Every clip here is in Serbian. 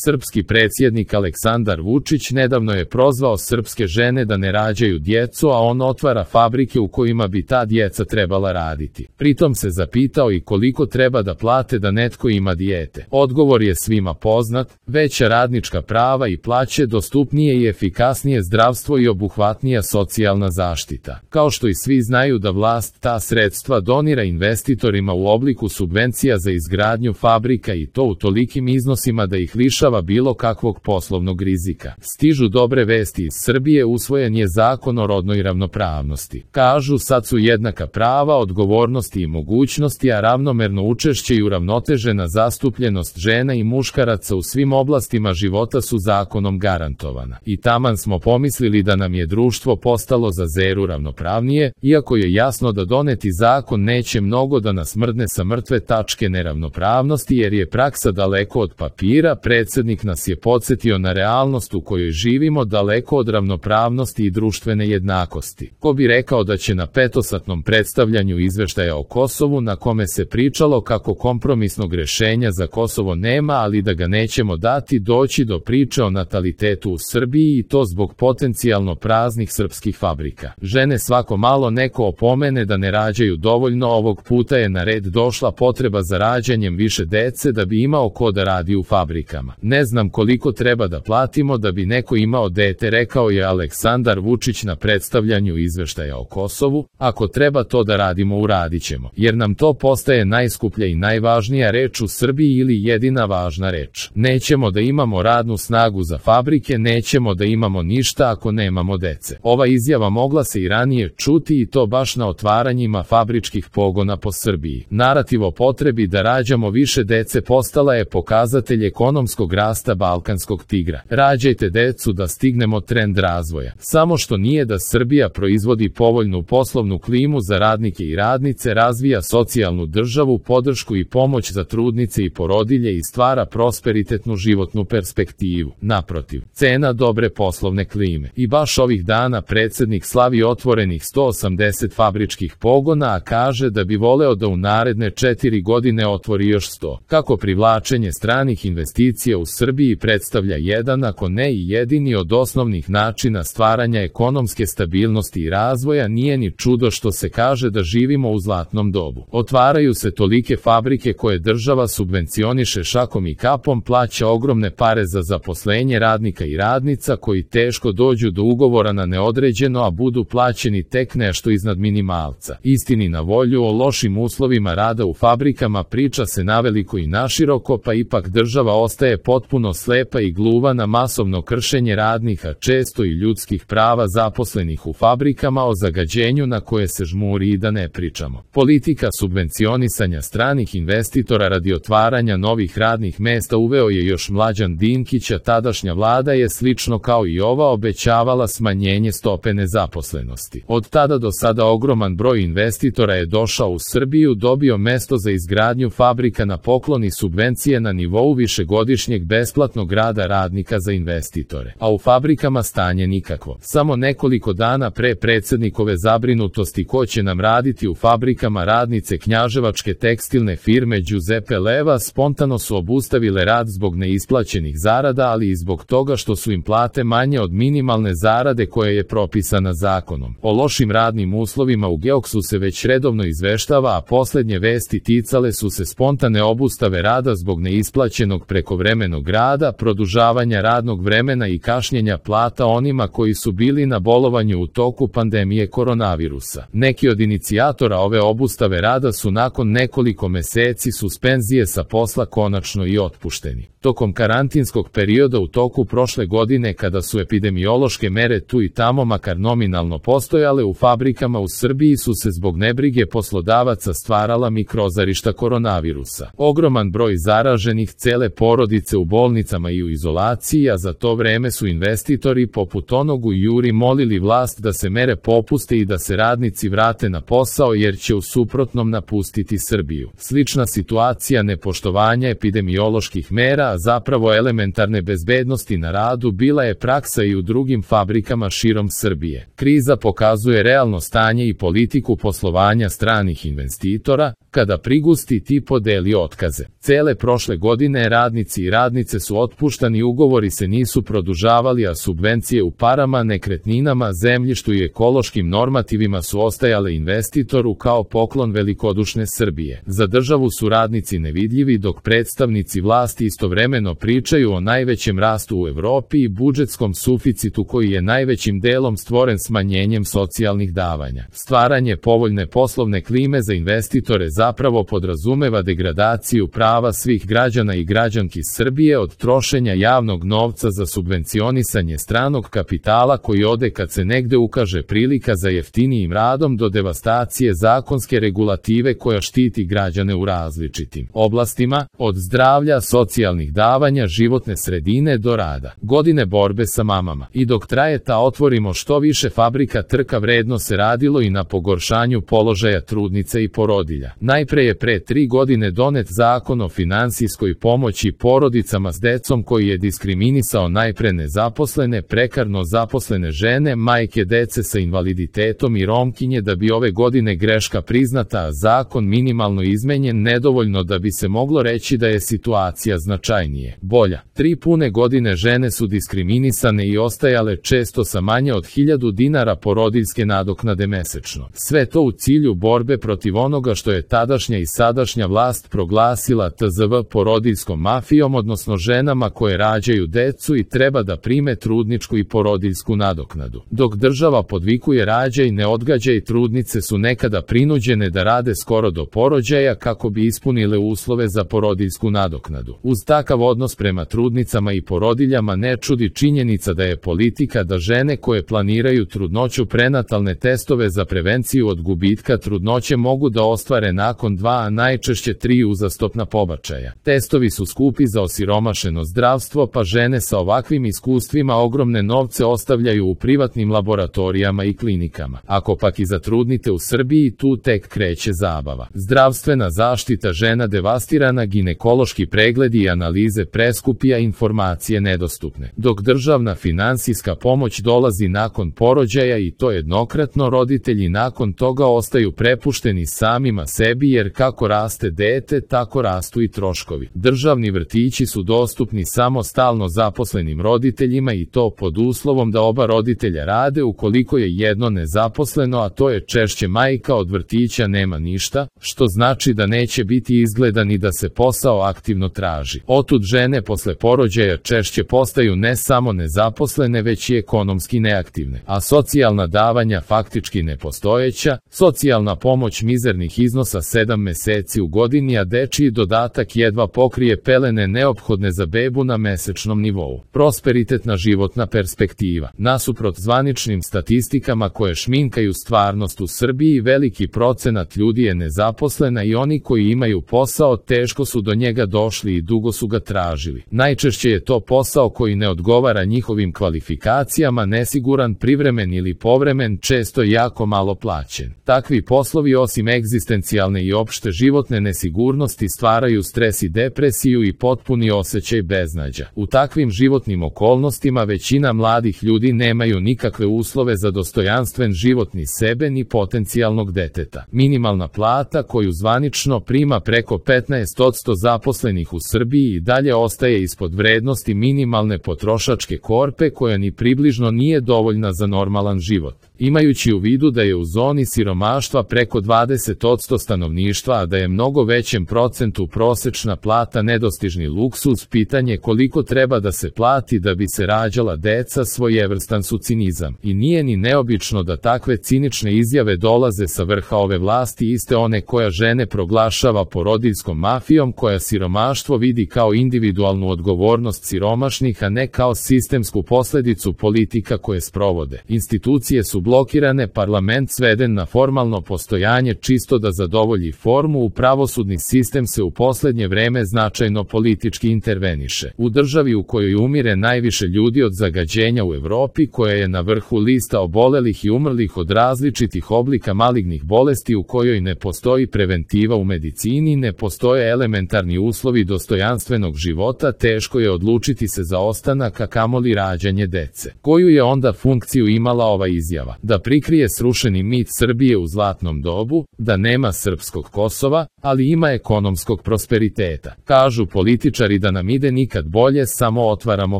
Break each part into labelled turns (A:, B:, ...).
A: Srpski predsjednik Aleksandar Vučić nedavno je prozvao srpske žene da ne rađaju djecu, a on otvara fabrike u kojima bi ta djeca trebala raditi. Pritom se zapitao i koliko treba da plate da netko ima dijete. Odgovor je svima poznat: veća radnička prava i plaće, dostupnije i efikasnije zdravstvo i obuhvatnija socijalna zaštita. Kao što i svi znaju da vlast ta sredstva donira investitorima u obliku subvencija za izgradnju fabrika, i to u tolikim iznosima da ih lišava bilo kakvog poslovnog rizika. Stižu dobre vesti iz Srbije: usvojen je zakon o rodnoj ravnopravnosti. Kažu, sad su jednaka prava, odgovornosti i mogućnosti, a ravnomerno učešće i uravnotežena zastupljenost žena i muškaraca u svim oblastima života su zakonom garantovana. I taman smo pomislili da nam je društvo postalo za zeru ravnopravnije, iako je jasno da doneti zakon neće mnogo da nas mrdne sa mrtve tačke neravnopravnosti, jer je praksa daleko od papira. Predsjednik nas je podsjetio na realnost u kojoj živimo, daleko od ravnopravnosti i društvene jednakosti. Ko bi rekao da će na petosatnom predstavljanju izveštaja o Kosovu, na kome se pričalo kako kompromisnog rješenja za Kosovo nema, ali da ga nećemo dati, doći do priče o natalitetu u Srbiji, i to zbog potencijalno praznih srpskih fabrika. Žene svako malo neko opomene da ne rađaju dovoljno. Ovog puta je na red došla potreba za rađanjem više dece da bi imao ko da radi u fabrikama. Ne znam koliko treba da platimo da bi neko imao dete, rekao je Aleksandar Vučić na predstavljanju izveštaja o Kosovu. Ako treba to da radimo, uradit ćemo, jer nam to postaje najskuplja i najvažnija reč u Srbiji, ili jedina važna reč. Nećemo da imamo radnu snagu za fabrike, nećemo da imamo ništa ako nemamo dece. Ova izjava mogla se i ranije čuti, i to baš na otvaranjima fabričkih pogona po Srbiji. Narativ o potrebi da rađamo više dece postala je pokazatelj ekonomskog rasta balkanskog tigra. Rađajte decu da stignemo trend razvoja. Samo što nije da Srbija proizvodi povoljnu poslovnu klimu za radnike i radnice, razvija socijalnu državu, podršku i pomoć za trudnice i porodilje i stvara prosperitetnu životnu perspektivu. Naprotiv, cena dobre poslovne klime. I baš ovih dana predsjednik slavi otvorenih 180 fabričkih pogona, a kaže da bi voleo da u naredne 4 godine otvori još 100. Kako privlačenje stranih investicija u Srbiji predstavlja jedan, ako ne i jedini od osnovnih načina stvaranja ekonomske stabilnosti i razvoja, nije ni čudo što se kaže da živimo u zlatnom dobu. Otvaraju se tolike fabrike koje država subvencioniše šakom i kapom, plaća ogromne pare za zaposlenje radnika i radnica koji teško dođu do ugovora na neodređeno, a budu plaćeni tek nešto iznad minimalca. Istini na volju, o lošim uslovima rada u fabrikama priča se naveliko i naširoko, pa ipak država ostaje potpuno slepa i gluva na masovno kršenje radnika, često i ljudskih prava zaposlenih u fabrikama, o zagađenju na koje se žmuri i da ne pričamo. Politika subvencionisanja stranih investitora radi otvaranja novih radnih mesta uveo je još Mlađan Dinkić, a tadašnja vlada je slično kao i ova obećavala smanjenje stope nezaposlenosti. Od tada do sada ogroman broj investitora je došao u Srbiju, dobio mesto za izgradnju fabrika na poklon i subvencije na nivou višegodišnjeg besplatnog rada radnika za investitore. A u fabrikama stanje nikakvo. Samo nekoliko dana pre predsjednikove zabrinutosti ko će nam raditi u fabrikama, radnice knjaževačke tekstilne firme Giuseppe Leva spontano su obustavile rad zbog neisplaćenih zarada, ali i zbog toga što su im plate manje od minimalne zarade koja je propisana zakonom. O lošim radnim uslovima u Geoksu se već redovno izveštava, a posljednje vesti ticale su se spontane obustave rada zbog neisplaćenog prekovremenog rada, produžavanja radnog vremena i kašnjenja plata onima koji su bili na bolovanju u toku pandemije koronavirusa. Neki od inicijatora ove obustave rada su nakon nekoliko meseci suspenzije sa posla konačno i otpušteni. Tokom karantinskog perioda u toku prošle godine, kada su epidemiološke mere tu i tamo makar nominalno postojale, u fabrikama u Srbiji su se zbog nebrige poslodavaca stvarala mikrozarišta koronavirusa. Ogroman broj zaraženih, cele porodice u bolnicama i u izolaciji, a za to vreme su investitori poput onog u Juri molili vlast da se mere popuste i da se radnici vrate na posao, jer će u suprotnom napustiti Srbiju. Slična situacija nepoštovanja epidemioloških mera, a zapravo elementarne bezbednosti na radu, bila je praksa i u drugim fabrikama širom Srbije. Kriza pokazuje realno stanje i politiku poslovanja stranih investitora, kada prigusti ti podeli otkaze. Cele prošle godine radnici i radnici radnice su otpuštani, ugovori se nisu produžavali, a subvencije u parama, nekretninama, zemljištu i ekološkim normativima su ostajale investitoru kao poklon velikodušne Srbije. Za državu su radnici nevidljivi, dok predstavnici vlasti istovremeno pričaju o najvećem rastu u Evropi i budžetskom suficitu koji je najvećim delom stvoren smanjenjem socijalnih davanja. Stvaranje povoljne poslovne klime za investitore zapravo podrazumeva degradaciju prava svih građana i građanki Srbije od trošenja javnog novca za subvencionisanje stranog kapitala koji ode kad se negde ukaže prilika za jeftinijim radom do devastacije zakonske regulative koja štiti građane u različitim oblastima, od zdravlja, socijalnih davanja, životne sredine do rada. Godine borbe sa mamama. I dok traje ta otvorimo što više fabrika trka, vredno se radilo i na pogoršanju položaja trudnica i porodilja. Najpre je pre 3 godine donet zakon o finansijskoj pomoći porodicama s decom koji je diskriminisao najpre nezaposlene, prekarno zaposlene žene, majke dece sa invaliditetom i Romkinje, da bi ove godine greška priznata, a zakon minimalno izmenjen nedovoljno da bi se moglo reći da je situacija značajnije bolja. 3 pune godine žene su diskriminisane i ostajale često sa manje od 1000 dinara porodiljske nadoknade mesečno. Sve to u cilju borbe protiv onoga što je tadašnja i sadašnja vlast proglasila TZV porodiljskom mafijom, odnosno ženama koje rađaju decu i treba da prime trudničku i porodiljsku nadoknadu. Dok država podvikuje rađaj, ne odgađaj, trudnice su nekada prinuđene da rade skoro do porođaja kako bi ispunile uslove za porodiljsku nadoknadu. Uz takav odnos prema trudnicama i porodiljama ne čudi činjenica da je politika da žene koje planiraju trudnoću prenatalne testove za prevenciju od gubitka trudnoće mogu da ostvare nakon 2, a najčešće 3 uzastopna pobačaja. Testovi su skupi za osiromašeno zdravstvo, pa žene sa ovakvim iskustvima ogromne novce ostavljaju u privatnim laboratorijama i klinikama. Ako pak i zatrudnite u Srbiji, tu tek kreće zabava. Zdravstvena zaštita žena devastirana, ginekološki pregledi i analize preskupi, a informacije nedostupne. Dok državna finansijska pomoć dolazi nakon porođaja i to jednokratno, roditelji nakon toga ostaju prepušteni samima sebi, jer kako raste dete, tako rastu i troškovi. Državni vrtići su dostupni samo stalno zaposlenim roditeljima i to pod uslovom da oba roditelja rade. Ukoliko je jedno nezaposleno, a to je češće majka, od vrtića nema ništa, što znači da neće biti izgleda ni da se posao aktivno traži. Otud žene posle porođaja češće postaju ne samo nezaposlene, već i ekonomski neaktivne, a socijalna davanja faktički nepostojeća, socijalna pomoć mizernih iznosa 7 meseci u godini, a dečiji dodatak jedva pokrije pelene neophodne za bebu na mesečnom nivou. Prosperitetna životna perspektiva. Nasuprot zvaničnim statistikama koje šminkaju stvarnost u Srbiji, veliki procenat ljudi je nezaposlena i oni koji imaju posao teško su do njega došli i dugo su ga tražili. Najčešće je to posao koji ne odgovara njihovim kvalifikacijama, nesiguran, privremen ili povremen, često jako malo plaćen. Takvi poslovi osim egzistencijalne i opšte životne nesigurnosti stvaraju stres i depresiju i potpuni osjećaj beznađa. U takvim životnim okolnostima većina mladih ljudi nemaju nikakve uslove za dostojanstven život ni sebe ni potencijalnog deteta. Minimalna plata koju zvanično prima preko 15% zaposlenih u Srbiji i dalje ostaje ispod vrednosti minimalne potrošačke korpe koja ni približno nije dovoljna za normalan život. Imajući u vidu da je u zoni siromaštva preko 20% stanovništva, a da je mnogo većem procentu prosečna plata nedostižni luksuz, pitanje koliko treba da se plati da bi se rađala deca svojevrstan su cinizam. I nije ni neobično da takve cinične izjave dolaze sa vrha ove vlasti, iste one koja žene proglašava porodiljskom mafijom, koja siromaštvo vidi kao individualnu odgovornost siromašnih, a ne kao sistemsku posledicu politika koje sprovode. Institucije su blokirane, parlament sveden na formalno postojanje čisto da zadovolji formu, u pravosudni sistem se u poslednje vreme značajno politički interveniše. U državi u kojoj umire najviše ljudi od zagađenja u Evropi, koja je na vrhu lista obolelih i umrlih od različitih oblika malignih bolesti, u kojoj ne postoji preventiva u medicini, ne postoje elementarni uslovi dostojanstvenog života, teško je odlučiti se za ostanak, a kamoli rađanje dece. Koju je onda funkciju imala ova izjava? da prikrije srušeni mit Srbije u zlatnom dobu, da nema srpskog Kosova, ali ima ekonomskog prosperiteta. Kažu političari da nam ide nikad bolje, samo otvaramo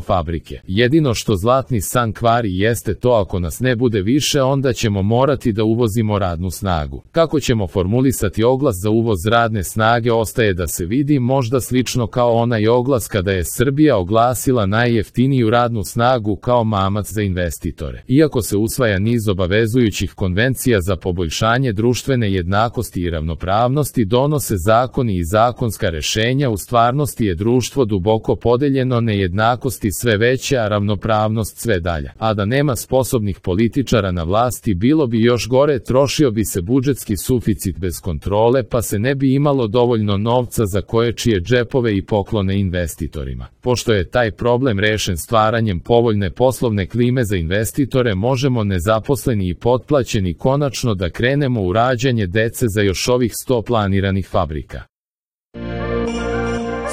A: fabrike. Jedino što zlatni san kvari jeste to, ako nas ne bude više, onda ćemo morati da uvozimo radnu snagu. Kako ćemo formulisati oglas za uvoz radne snage ostaje da se vidi, možda slično kao onaj oglas kada je Srbija oglasila najjeftiniju radnu snagu kao mamac za investitore. Iako se usvaja niz obavezujućih konvencija za poboljšanje društvene jednakosti i ravnopravnosti, donose zakoni i zakonska rešenja, u stvarnosti je društvo duboko podeljeno, nejednakosti sve veće, a ravnopravnost sve dalja. A da nema sposobnih političara na vlasti, bilo bi još gore, trošio bi se budžetski suficit bez kontrole, pa se ne bi imalo dovoljno novca za koječije džepove i poklone investitorima. Pošto je taj problem rešen stvaranjem povoljne poslovne klime za investitore, možemo nezaposleni i potplaćeni konačno da krenemo u rađanje dece za još ovih 100 planiranih fabrika.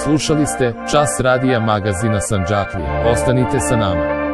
A: Slušali ste Čas radija magazina Sandžaklija. Ostanite sa nama.